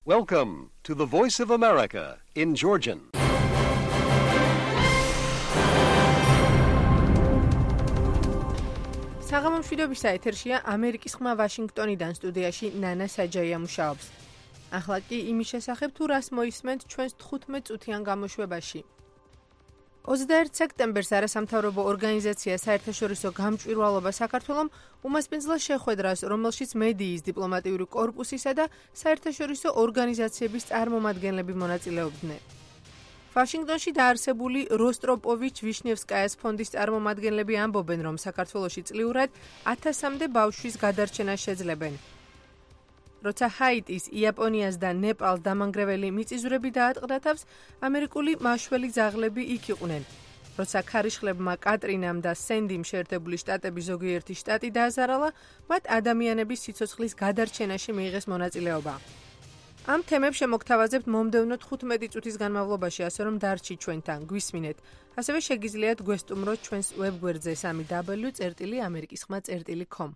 Welcome to the Voice of America in Georgian. საღამომშვიდობის ეთერშია ამერიკის ხმა ვაშინგტონიდან სტუდიაში ნანა საჯაია მუშაობს. ახლა კი იმის შესახებ თუ რას მოისმენთ ჩვენს 15 წუთიან გამოშვებაში. 21 სექტემბერს არასამთავრობო ორგანიზაცია საერთაშორისო გამჭვირვალობა საქართველომ უმასპინძლა შეხვედრას, რომელშიც მედიის დიპლომატიური კორპუსისა და საერთაშორისო ორგანიზაციების წარმომადგენლები მონაწილეობდნენ. ვაშინგტონში დაარსებული როსტროპოვიჩ-ვიშნევსკაიას ფონდის წარმომადგენლები ამბობენ, რომ საქართველოში წლიურად 1000-მდე ბავშვის გადარჩენას შეძლებენ. როცა ჰაიტის, იაპონიას და ნეპალს დამანგრეველი მიწისძვრები დაატყდა თავს, ამერიკული მაშველი ძაღლები იქ იყვნენ. როცა ქარიშხლებმა კატრინამ და სენდიმ შეერთებული შტატების ზოგიერთი შტატი დააზარალა, მათ ადამიანების სიცოცხლის გადარჩენაში მიიღეს მონაწილეობა. ამ თემებს შემოგთავაზებთ მომდევნო 15 წუთის განმავლობაში, ასე რომ დარჩით ჩვენთან, გვისმინეთ. ასევე შეგიძლიათ გვესტუმროთ ჩვენს ვებგვერდზე www.amerikiskhma.com.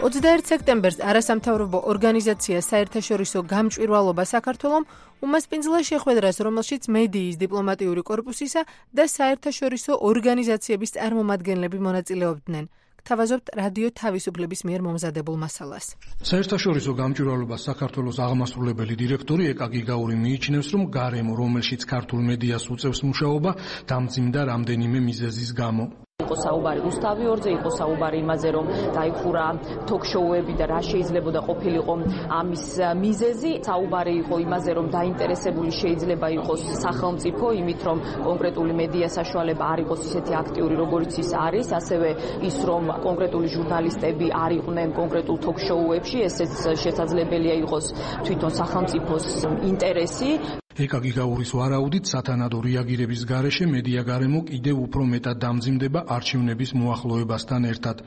21 სექტემბერს არასამთავრობო ორგანიზაცია საერთაშორისო გამჭვირვალობა საქართველომ უმასპინძლა შეხვედრას, რომელშიც მედიის დიპლომატიური კორპუსისა და საერთაშორისო ორგანიზაციების წარმომადგენლები მონაწილეობდნენ. გთავაზობთ რადიო თავისუფლების მიერ მომზადებულ მასალას. საერთაშორისო გამჭვირვალობა საქართველოს აღმასრულებელი დირექტორი ეკა გიგაური მიიჩნევს, რომ გარემო, რომელშიც ქართულ მედიას უწევს მუშაობა, დამძიმდა რამდენიმე მიზეზის გამო. იყო საუბარი რუსთავი ორზე, იყო საუბარი იმაზე, რომ დაიხურა თოქ-შოუები და რა შეიძლებოდა ყოფილიყო ამის მიზეზი. საუბარი იყო იმაზე, რომ დაინტერესებული შეიძლება იყოს სახელმწიფო იმით, რომ კონკრეტული მედია საშუალება არ იყოს ისეთი აქტიური, როგორც ის არის, ასევე ის, რომ კონკრეტული ჟურნალისტები არ იყვნენ კონკრეტულ თოქ-შოუებში, ესეც შესაძლებელია იყოს თვითონ სახელმწიფოს ინტერესი. ეკა გიგაურის ვარაუდით, სათანადო რეაგირების გარეშე მედია გარემო კიდევ უფრო მეტად დამძიმდება არჩევნების მოახლოებასთან ერთად.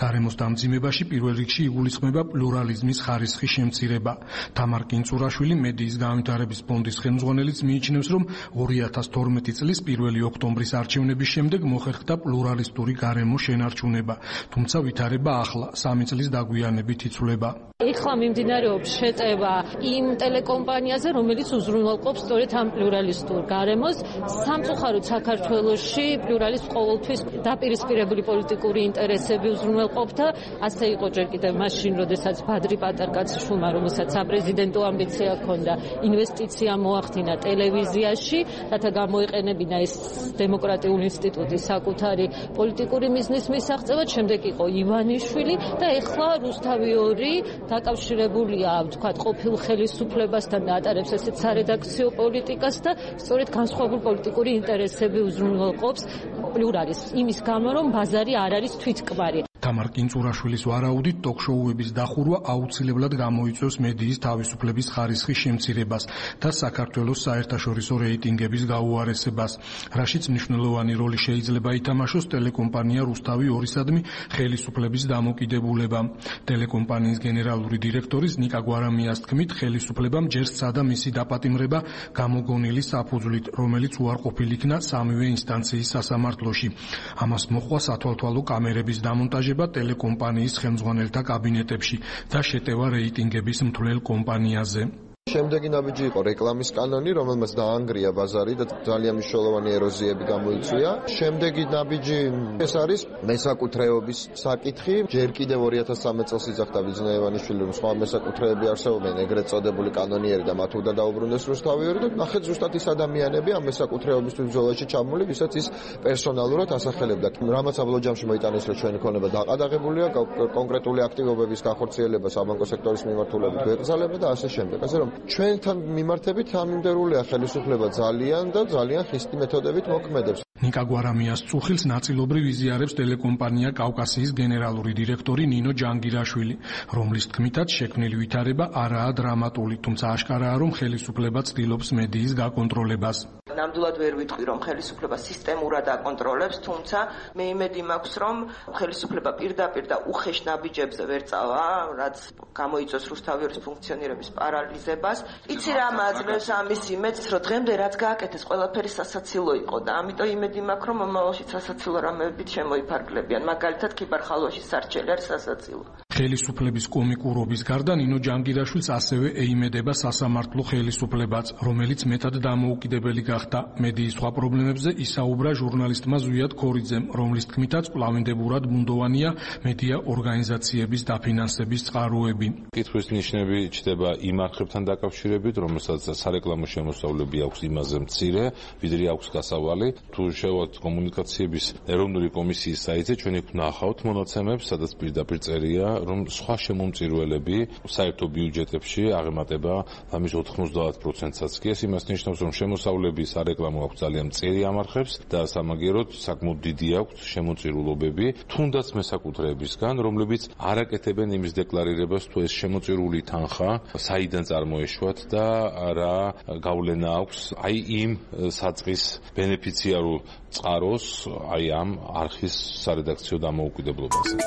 გარემოს დამძიმებაში პირველ რიგში იგულისხმება პლურალიზმის ხარისხის შემცირება. თამარ კინწურაშვილი, მედიის განვითარების ფონდის ხელმძღვანელიც მიიჩნევს, რომ 2012 წლის 1 ოქტომბრის არჩევნების შემდეგ მოხერხდა პლურალისტური გარემოს შენარჩუნება, თუმცა ვითარება ახლა, 3 წლის დაგვიანებით იცვლება. ეხლა მიმდინარეობს შეტევა იმ ტელეკომპანიაზე, რომელიც უზრუნველყოფს სწორედ ამ პლურალისტურ გარემოს. სამწუხაროდ საქართველოში პლურალისტ ყოველთვის დაპირისპირებული პოლიტიკური ინტერესები უზრუნველყოფდა. ასე იყო ჯერ კიდევ მაშინ, როდესაც ბადრი პატარკაციშვილმა, რომელსაც საპრეზიდენტო ამბიცია ჰქონდა, ინვესტიცია მოახდინა ტელევიზიაში, რათა გამოეყენებინა ეს დემოკრატიული ინსტიტუტი საკუთარი პოლიტიკური მიზნის მისაღწევად. შემდეგ იყო ივანიშვილი და ეხლა რუსთავი ორი დაკავშირებულია, ვთქვათ, ყოფილ ხელისუფლებასთან და ატარებს ესეთ სარედაქციო პოლიტიკას და სწორედ განსხვავებული პოლიტიკური ინტერესები უზრუნველყოფს პლურალიზმს, იმის გამო, რომ ბაზარი არ არის თვითკბარი. თამარ კინწურაშვილის ვარაუდით, ტოქ-შოუების დახურვა აუცილებლად გამოიწვევს მედიის თავისუფლების ხარისხის შემცირებას და საქართველოს საერთაშორისო რეიტინგების გაუარესებას, რაშიც მნიშვნელოვანი როლი შეიძლება ითამაშოს ტელეკომპანია რუსთავი ორისადმი ხელისუფლების დამოკიდებულებამ. ტელეკომპანიის გენერალური დირექტორის ნიკა გვარამიას თქმით, ხელისუფლებამ ჯერ სცადა მისი დაპატიმრება გამოგონილი საფუძვლით, რომელიც უარყოფილ იქნა სამივე ინსტანციის სასამართლოში. ამას მოჰყვა სათვალთვალო კამერების დამონტაჟება ტელეკომპანიის ხელმძღვანელთა კაბინეტებში და შეტევა რეიტინგების მთლელ კომპანიაზე. შემდეგი ნაბიჯი იყო რეკლამის კანონი, რომელმაც დაანგრია ბაზარი და ძალიან მნიშვნელოვანი ეროზიები გამოიწვია. შემდეგი ნაბიჯი ეს არის მესაკუთრეობის საკითხი. ჯერ კიდევ 2013 წელს იძახდა ბიძინა ივანიშვილი, რომ სხვა მესაკუთრეები არსებობენ, ეგრეთ წოდებული კანონიერი და მათ უნდა დაუბრუნდეს რუსთავი ორი და ნახეთ ზუსტად ის ადამიანები ამ მესაკუთრეობისთვის ბრძოლაში ჩამული, ვისაც ის პერსონალურად ასახელებდა. რამაც აბლოჯამში მოიტანეს, რომ ჩვენი ქონება დაყადაღებულია, კონკრეტული აქტივობების განხორციელება საბანკო სექტორის მიმართულებით ვეკრძალება და ასე შემდეგ. ასე რომ ჩვენთან მიმართებით ამინდერულია ხელისუფლება ძალიან და ძალიან ხისტი მეთოდებით მოქმედებს. ნიკა გვარამიას წუხილს ნაწილობრივ იზიარებს ტელეკომპანია კავკასიის გენერალური დირექტორი ნინო ჯანგირაშვილი, რომლის თქმითაც შექმნილი ვითარება არაა დრამატული, თუმცა აშკარაა, რომ ხელისუფლება ცდილობს მედიის გაკონტროლებას. ნამდვილად ვერ ვიტყვი, რომ ხელისუფლება სისტემურად აკონტროლებს, თუმცა მე იმედი მაქვს, რომ ხელისუფლება პირდაპირ და უხეშ ნაბიჯებზე ვერ წავა, რაც გამოიწვევს რუსთავი ორის ფუნქციონირების პარალიზებას. იცი რა მაძლევს ამის იმედს, რომ დღემდე რაც გააკეთეს, ყველაფერი სასაცილო იყო და ამიტომ იმედი მაქვს, რომ მომავალში სასაცილო რამეებით შემოიფარგლებიან. მაგალითად, ქიბარ-ხალვაში სარჩელი არის სასაცილო. ხელისუფლების კომიკურობის გარდა ნინო ჯანგირაშვილს ასევე ეიმედება სასამართლო ხელისუფლებაც, რომელიც მეტად დამოუკიდებელი გახდა. მედიის სხვა პრობლემებზე ისაუბრა ჟურნალისტმა ზვიად ქორიძემ, რომლის თქმითაც კვლავინდებურად ბუნდოვანია მედია ორგანიზაციების დაფინანსების წყაროები. კითხვის ნიშნები ჩდება იმ არხებთან დაკავშირებით, რომელსაც სარეკლამო შემოსავლები აქვს იმაზე მცირე, ვიდრე აქვს გასავალი. თუ შევავთ კომუნიკაციების ეროვნული კომისიის საიტზე, ჩვენ იქ ვნახავთ მონაცემებს, სადაც პირდაპირ წერია, რომ სხვა შემომწირველები საერთო ბიუჯეტებში აღემატება ამის 90%-საც კი. ეს იმას ნიშნავს, რომ შემოსავლები სარეკლამო აქვს ძალიან მწირი ამარხებს და სამაგიეროდ საკმაოდ დიდი აქვს შემოწირულობები, თუნდაც მესაკუთრეებისგან, რომლებიც არ აკეთებენ იმის დეკლარირებას, თუ ეს შემოწირული თანხა საიდან წარმოეშვათ და რა გავლენა აქვს აი იმ საწყის ბენეფიციარულ წყაროს, აი ამ არხის სარედაქციო დამოუკიდებლობასაც.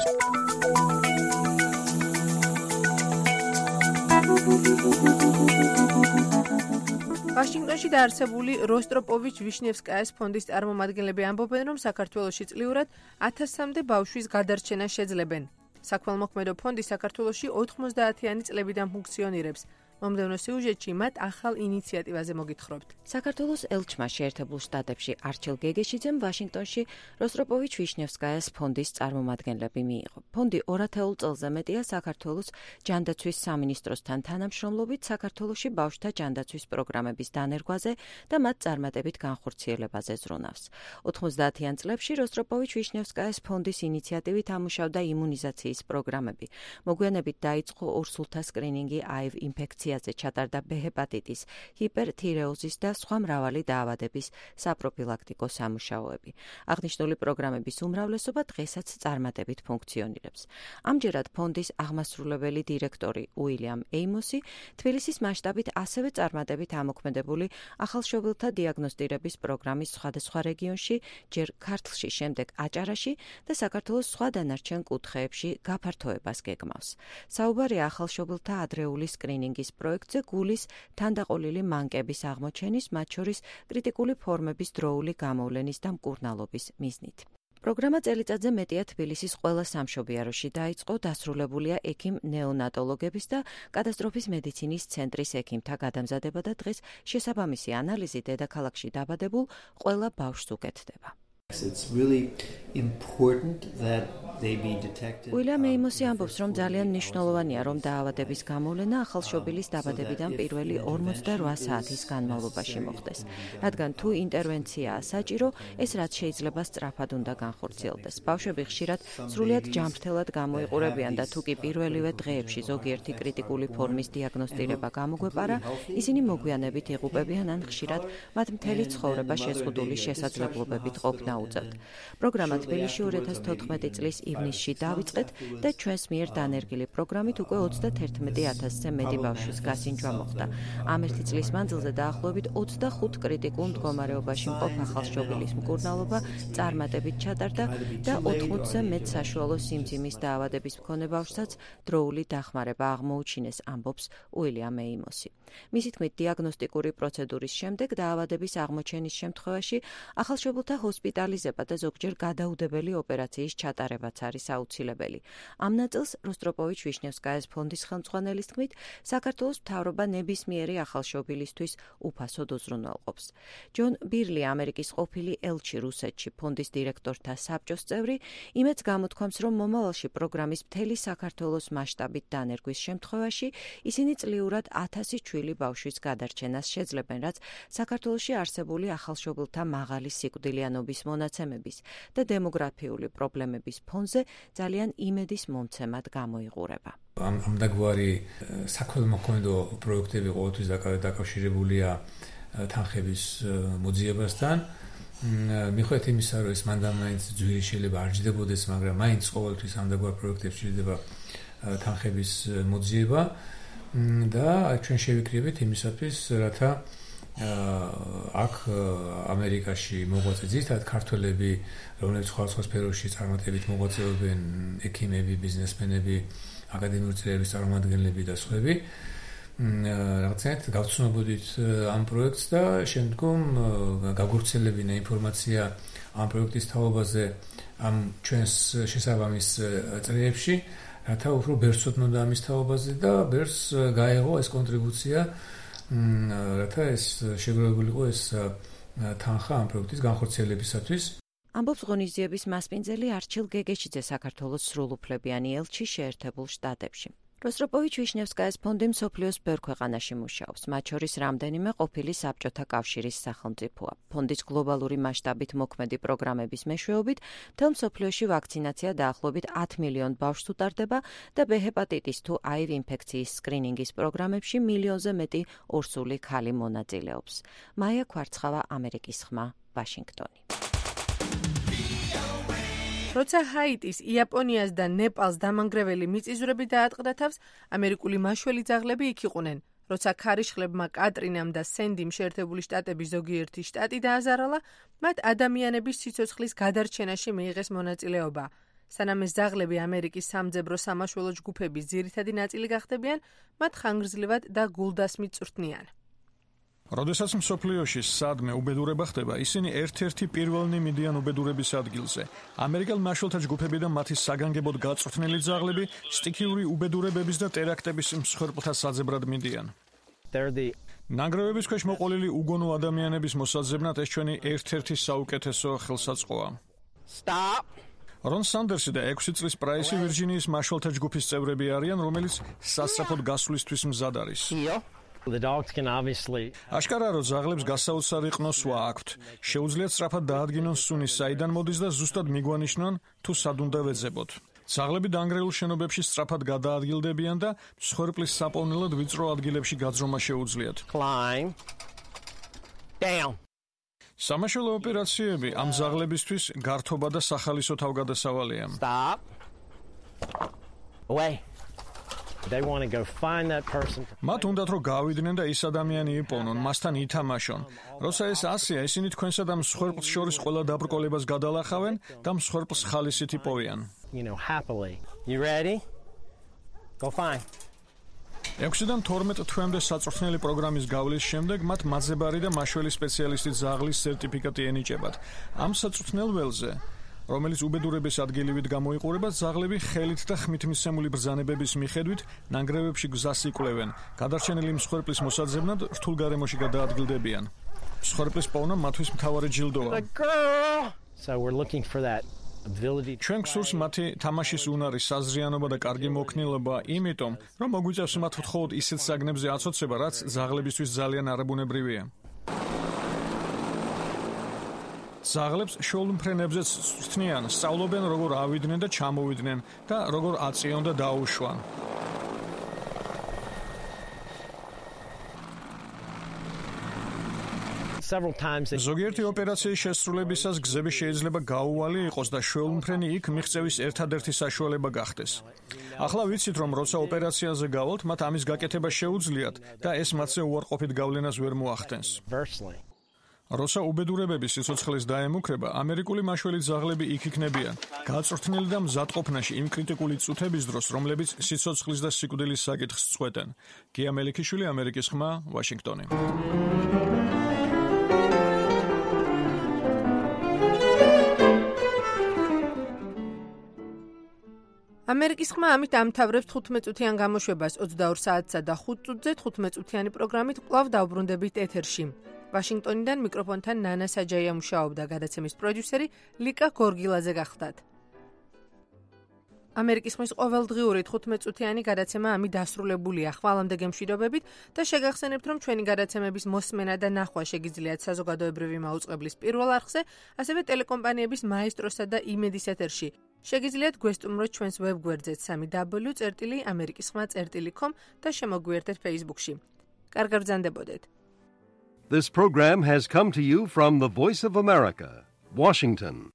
ვაშინგტონში დაარსებული როსტროპოვიჩ-ვიშნევსკაიას ფონდის წარმომადგენლები ამბობენ, რომ საქართველოში წლიურად 1000-მდე ბავშვის გადარჩენას შეძლებენ. საქველმოქმედო ფონდი საქართველოში 90-იანი წლებიდან ფუნქციონირებს. მომდევნო სიუჟეტში მათ ახალ ინიციატივაზე მოგითხრობთ. საქართველოს ელჩმა შეერთებულ შტატებში არჩილ გეგეშიძემ ვაშინგტონში როსტროპოვიჩ-ვიშნევსკაიას ფონდის წარმომადგენლები მიიღო. ფონდი 200 წელზე მეტია საქართველოს ჯანდაცვის სამინისტროსთან თანამშრომლობით საქართველოში ბავშვთა ჯანდაცვის პროგრამების დანერგვაზე და მათ წარმატებით განხორციელებაზე ზრუნავს. 90-იან წლებში როსტროპოვიჩ-ვიშნევსკაიას ფონდის ინიციატივით ამუშავდა იმუნიზაციის პროგრამები. მოგვიანებით დაიწყო ორსულთა სკრინინგი აივ ინფექციაზე, ჩატარდა ბ ჰეპატიტის, ჰიპერთირეოზის და სხვა მრავალი დაავადების საპროფილაქტიკო სამუშაოები. აღნიშნული პროგრამების უმრავლესობა დღესაც წარმატებით ფუნქციონირებს. ამჯერად ფონდის აღმასრულებელი დირექტორი უილიამ ეიმოსი თბილისის მასშტაბით ასევე წარმატებით ამოქმედებული ახალშობილთა დიაგნოსტირების პროგრამის სხვადასხვა რეგიონში, ჯერ ქართლში, შემდეგ აჭარაში და საქართველოს სხვა დანარჩენ კუთხეებში გაფართოებას გეგმავს. საუბარია ახალშობილთა ადრეული სკრინინგის პროექტზე გულის თანდაყოლილი მანკების აღმოჩენის, მათ შორის კრიტიკული ფორმების დროული გამოვლენის და მკურნალობის მიზნით. პროგრამა წელიწადზე მეტია თბილისის ყველა სამშობიაროში დაიწყო, დასრულებულია ექიმ ნეონატოლოგების და კატასტროფის მედიცინის ცენტრის ექიმთა გადამზადება და დღეს შესაბამისი ანალიზი დედაქალაქში დაბადებულ ყველა ბავშვს უკეთდება. უილიამ ეიმოსი ამბობს, რომ ძალიან მნიშვნელოვანია, რომ დაავადების გამოვლენა ახალშობილის დაბადებიდან პირველი 48 საათის განმავლობაში მოხდეს. რადგან თუ ინტერვენციაა საჭირო, ეს რაც შეიძლება სწრაფად უნდა განხორციელდეს. ბავშვები ხშირად სრულიად ჯანმრთელად გამოიყურებიან და თუ კი პირველივე დღეებში ზოგიერთი კრიტიკული ფორმის დიაგნოსტირება გამოგვეპარა, ისინი მოგვიანებით იღუპებიან ან ხშირად მათ მთელი ცხოვრება შეზღუდული შესაძლებლობებით ყოფნა უწევთ. პროგრამა თბილისში 2014 წლის ივნისში დავიწყეთ და ჩვენს მიერ დანერგილი პროგრამით უკვე 31000-ზე მეტი ბავშვის გასინჯვა მოხდა. ამ ერთი წლის მანძილზე დაახლოებით 25 კრიტიკულ მდგომარეობაში მყოფ ახალშობილის მკურნალობა წარმატებით ჩატარდა და 80-ზე მეტ საშუალო სიმძიმის დაავადების მქონე ბავშვსაც დროული დახმარება აღმოუჩინეს, ამბობს უილიამ ეიმოსი. მისი თქმით, დიაგნოსტიკური პროცედურის შემდეგ დაავადების აღმოჩენის შემთხვევაში ახალშობილთა ჰოსპიტალიზება და ზოგჯერ გადაუდებელი ოპერაციის ჩატარებაც არის აუცილებელი. ამ ნაწილს როსტროპოვიჩ-ვიშნევსკაიას ფონდის ხელმძღვანელის თქმით, საქართველოს მთავრობა ნებისმიერი ახალშობილისთვის უფასოდ უზრუნველყოფს. ჯონ ბირლი, ამერიკის ყოფილი ელჩი რუსეთში, ფონდის დირექტორთა საბჭოს წევრი, იმედს გამოთქვამს, რომ მომავალში პროგრამის მთელი საქართველოს მასშტაბით დანერგვის შემთხვევაში ისინი წლიურად 1000 ჩვილი ბავშვის გადარჩენას შეძლებენ, რაც საქართველოში არსებული ახალშობილთა მაღალი სიკვდილიანობის მონაცემების და დემოგრაფიული პრობლემების ფონზე ძალიან იმედის მომცემად გამოიყურება. ამდაგვარი საქველმოქმედო პროექტები ყოველთვის დაკავშირებულია თანხების მოძიებასთან. მიხვდეთ იმისა, რომ ეს მანდამაინც ძვირი შეიძლება არ ჯდებოდეს, მაგრამ მაინც ყოველთვის ამდაგვარ პროექტებში ჯდება თანხების მოძიება და ჩვენ შევიკრიბეთ იმისათვის, რათა აქ ამერიკაში მოღვაწე ძირითადად ქართველები, რომლებიც სხვადასხვა სფეროში წარმატებით მოღვაწეობენ, ექიმები, ბიზნესმენები, აკადემიური წრეების წარმომადგენლები და სხვები, რაღაცნაირად გავცნობოდით ამ პროექტს და შემდგომ გაგვვრცელებინა ინფორმაცია ამ პროექტის თაობაზე ამ ჩვენს შესაბამის წრეებში, რათა უფრო ბერს უთმოდა ამის თაობაზე და ბერს გაეღო ეს კონტრიბუცია, რათა ეს შეგროვებულიყო ეს თანხა ამ პროექტის განხორციელებისათვის. ამბობს ღონისძიების მასპინძელი არჩილ გეგეშიძე საქართველოს სრულუფლებიანი ელჩი შეერთებულ შტატებში. როსტროპოვიჩ-ვიშნევსკაის ფონდი მსოფლიოს ბევრ ქვეყანაში მუშაობს, მათ შორის რამდენიმე ყოფილი საბჭოთა კავშირის სახელმწიფოა. ფონდის გლობალური მასშტაბით მოქმედი პროგრამების მეშვეობით მთელ მსოფლიოში ვაქცინაცია დაახლოებით 10 მილიონ ბავშვს უტარდება და ბ ჰეპატიტის თუ აივ ინფექციის სკრინინგის პროგრამებში მილიონზე მეტი ორსული ქალი მონაწილეობს. მაია ქვარცხავა, ამერიკის ხმა, ვაშინგტონი. როცა ჰაიტის, იაპონიას და ნეპალს დამანგრეველი მიწისძვრები დაატყდა თავს, ამერიკული მაშველი ძაღლები იქ იყვნენ. როცა ქარიშხლებმა კატრინამ და სენდიმ შეერთებული შტატების ზოგიერთი შტატი დააზარალა, მათ ადამიანების სიცოცხლის გადარჩენაში მიიღეს მონაწილეობა. სანამ ეს ძაღლები ამერიკის სამძებრო სამაშველო ჯგუფების ძირითადი ნაწილი გახდებიან, მათ ხანგრძლივად და გულდასმით წვრთნიან. როდესაც მსოფლიოში სადმე უბედურება ხდება, ისინი ერთ-ერთი პირველნი მიდიან უბედურების ადგილზე. ამერიკელ მაშველთა ჯგუფები და მათი საგანგებოდ გაწვრთნილი ძაღლები სტიქიური უბედურებების და ტერაქტების მსხვერპლთა საძებრად მიდიან. ნანგრევების ქვეშ მოყოლილი უგონო ადამიანების მოსაძებნად ეს ჩვენი ერთ-ერთი საუკეთესო ხელსაწყოა. რონ სანდერსი და 6 წლის პრაისი ვირჯინიის მაშველთა ჯგუფის წევრები არიან, რომელიც სასწრაფოდ გასვლისთვის მზად არის. აშკარაა, რომ ძაღლებს გასაოცარი ყნოსვა აქვთ. შეუძლიათ სწრაფად დაადგინონ სუნი, საიდან მოდის და ზუსტად მიგვანიშნონ, თუ სად უნდა ვეძებოთ. ძაღლები დანგრეულ შენობებში სწრაფად გადაადგილდებიან და მსხვერპლის საპოვნელად ვიწრო ადგილებში გაძრომა შეუძლიათ. სამაშველო ოპერაციები ამ ძაღლებისთვის გართობა და სახალისო თავგადასავალია. მათ უნდათ რომ გავიდნენ და ის ადამიანი იპოვნონ, მასთან ითამაშონ. როცა ეს ასეა, ისინი თქვენსა და მსხვერპლს შორის ყველა დაბრკოლებას გადალახავენ და მსხვერპლს ხალისით იპოვიან. 6-დან 12 თვემდე საწვრთნელი პროგრამის გავლის შემდეგ მათ მაძებარი და მაშველი სპეციალისტი ძაღლის სერტიფიკატი ენიჭებათ. ამ საწვრთნელ ველზე, რომელიც უბედურების ადგილივით გამოიყურება, ძაღლები ხელით და ხმით მისცემული ბრძანებების მიხედვით ნანგრევებში გზას იკვლევენ. გადარჩენილი მსხვერპლის მოსაძებნად რთულ გარემოში გადაადგილდებიან. მსხვერპლის პოვნა მათთვის მთავარი ჯილდოა. ჩვენ გსურს მათი თამაშის უნარი, საზრიანობა და კარგი მოქნილობა, იმიტომ, რომ მოგვიწევს მათ მხოლოდ ისეთ საგნებზე აცოცება, რაც ძაღლებისთვის ძალიან არაბუნებრივია. ძაღლებს შოულმფრენებზეც წვრთნიან, სწავლობენ როგორ ავიდნენ და ჩამოვიდნენ და როგორ აწიონ და დაუშვან. ზოგიერთი ოპერაციის შესრულებისას გზები შეიძლება გაუვალი იყოს და შოულმფრენი იქ მიღწევის ერთადერთი საშუალება გახდეს. ახლა ვიცით, რომ როცა ოპერაციაზე გავალთ, მათ ამის გაკეთება შეუძლიათ და ეს მათზე უარყოფით გავლენას ვერ მოახდენს. როცა უბედურებების სიცოცხლის დაემუქრება, ამერიკული მაშველი ძაღლები იქ იქნებიან, გაწვრთნილი და მზადყოფნაში იმ კრიტიკული წუთების დროს, რომლებიც სიცოცხლის და სიკვდილის საკითხს წყვეტენ. გია მელიქიშვილი, ამერიკის ხმა, ვაშინგტონი. ამერიკის ხმა ამით ამთავრებს 15 წუთიან გამოშვებას 22 საათსა და 5 წუთზე 15 წუთიანი პროგრამით კვლავ დავბრუნდებით ეთერში. ვაშინგტონიდან მიკროფონთან ნანა საჯაია მუშაობდა, გადაცემის პროდიუსერი ლიკა გორგილაძე გახლდათ. ამერიკის ხმის ყოველდღიური 15 წუთიანი გადაცემა ამით დასრულებულია. ხვალამდე გემშვიდობებით და შეგახსენებთ, რომ ჩვენი გადაცემების მოსმენა და ნახვა შეგიძლიათ საზოგადოებრივი მაუწყებლის პირველ არხზე, ასევე ტელეკომპანიების მაესტროსა და იმედის ეთერში. შეგიძლიათ გვესტუმროთ ჩვენს ვებგვერდზე www.amerikiskhma.com და შემოგვიერთეთ Facebook-ში. კარგად ბრძანდებოდეთ. This program has come to you from the Voice of America, Washington.